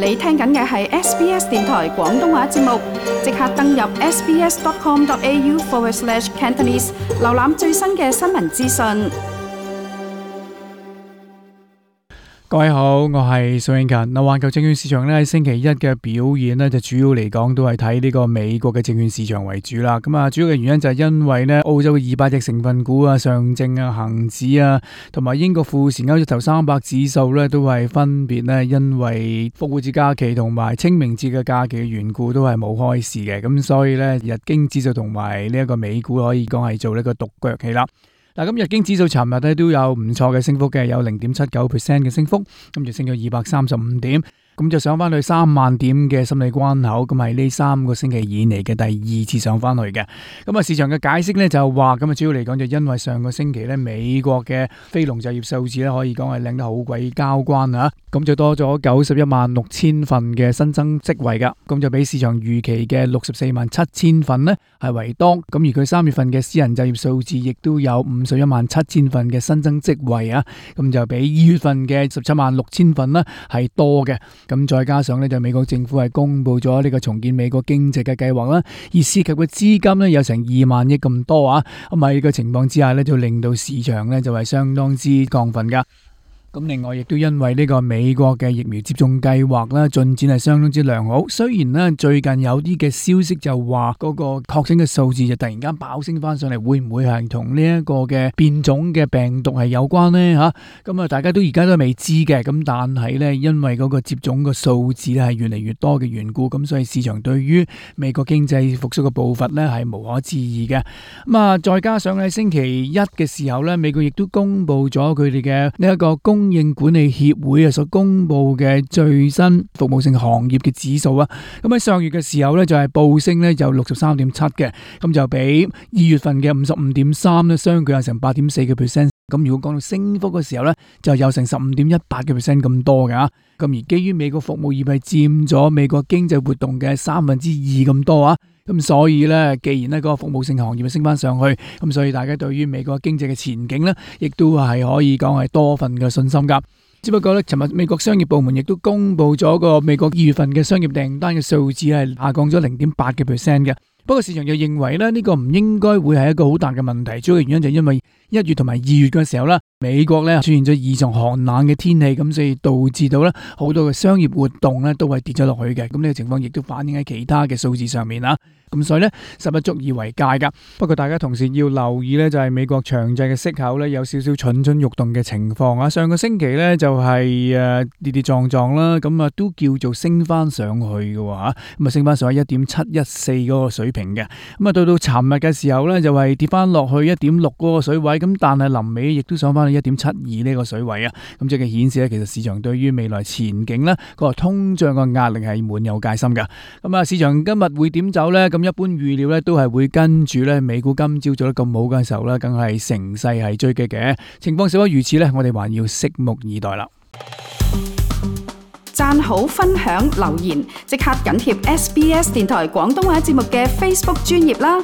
你聽緊嘅係 SBS 電台廣東話節目，即刻登入 sbs.com.au/Cantonese， 瀏覽最新嘅新聞資訊。各位好，我係蘇永勤。環球證券市場咧星期一嘅表現咧，就主要嚟講都係睇呢個美國嘅證券市場為主啦。咁啊，主要嘅原因就係因為咧澳洲嘅200隻成分股啊、上證啊、恒指啊，同埋英國富時歐洲頭300指數咧，都係分別咧因為復活節假期同埋清明節嘅假期嘅緣故，都係冇開市嘅。咁所以咧，日經指數同埋呢一個美股可以講係做呢個獨腳戲啦。嗱，咁日經指數尋日咧都有唔錯嘅升幅嘅，有 0.79% 嘅升幅，咁就升咗235點。咁就上翻去3萬點嘅心理關口，咁係呢3個星期以嚟嘅第2次上翻去嘅。咁啊，市場嘅解釋咧就話，咁啊主要嚟講就因為上個星期咧美國嘅非農就業數字咧可以講係靚得好鬼交關啊，咁就多咗916000份嘅新增職位噶，咁就比市場預期嘅647000份呢係為多。咁而佢3月份嘅私人就業數字亦都有517,000份嘅新增職位啊，咁就比2月份嘅176,000份呢係多嘅。咁再加上咧，就美國政府係公布咗呢個重建美國經濟嘅計劃啦，而涉及嘅資金咧有成2萬億咁多啊，咁喺呢個情況之下咧，就令到市場咧就係相當之亢奮噶。咁另外亦都因為呢個美國嘅疫苗接種計劃啦，進展係相當之良好。雖然呢最近有啲嘅消息就話嗰個確診嘅數字就突然間爆升翻上嚟，會唔會係同呢一個嘅變種嘅病毒係有關呢？吓，咁啊，大家都而家都未知嘅。咁但係呢，因為嗰個接種嘅數字咧係越嚟越多嘅緣故，咁所以市場對於美國經濟復甦嘅步伐呢係無可置疑嘅。咁啊，再加上喺星期一嘅時候呢，美國亦都公布咗佢哋嘅呢一個供應管理協會啊所公布嘅最新服務性行業嘅指數啊，咁喺上月嘅時候咧就係報升咧就63.7嘅，咁就比2月份嘅55.3咧相距有成8.4%。咁如果講到升幅嘅時候咧，就有成15.18% 咁多㗎。咁而基於美國服務業係佔咗美國經濟活動嘅2/3咁多啊。咁所以咧，既然呢個服務性行業升翻上去，咁所以大家對於美國經濟嘅前景咧，亦都係可以講係多份嘅信心噶。只不過咧，尋日美國商業部門亦都公布咗個美國2月份嘅商業訂單嘅數字係下降咗0.8% 嘅。不過市場又認為咧，呢個唔應該會係一個好大嘅問題，主要嘅原因就係因為1月同埋2月嘅時候啦，美國咧出現咗異常寒冷嘅天氣，咁所以導致到咧好多嘅商業活動咧都係跌咗落去嘅。咁呢個情況亦都反映喺其他嘅數字上面啦。咁所以咧，實不足以為戒噶。不過大家同時要留意咧，就係美國長債嘅息口咧有少少蠢蠢欲動嘅情況啊。上個星期咧就係跌跌撞撞啦，咁啊都叫做升翻上去嘅喎，咁啊升翻上去1.714嗰個水平嘅。咁啊到尋日嘅時候咧就係跌翻落去1.6嗰個水位，咁但係臨尾亦都上翻去1.72呢個水位啊。咁即係顯示咧，其實市場對於未來前景咧個通脹嘅壓力係滿有戒心嘅。咁啊，市場今日會點走咧？咁一般預料咧都係會跟住咧美股今朝做得咁好嘅時候咧，梗係乘勢係追擊嘅情況。少不如此咧，我哋還要拭目以待啦。讚好、分享、留言，即刻緊貼 SBS 電台廣東話節目嘅 Facebook 專頁啦。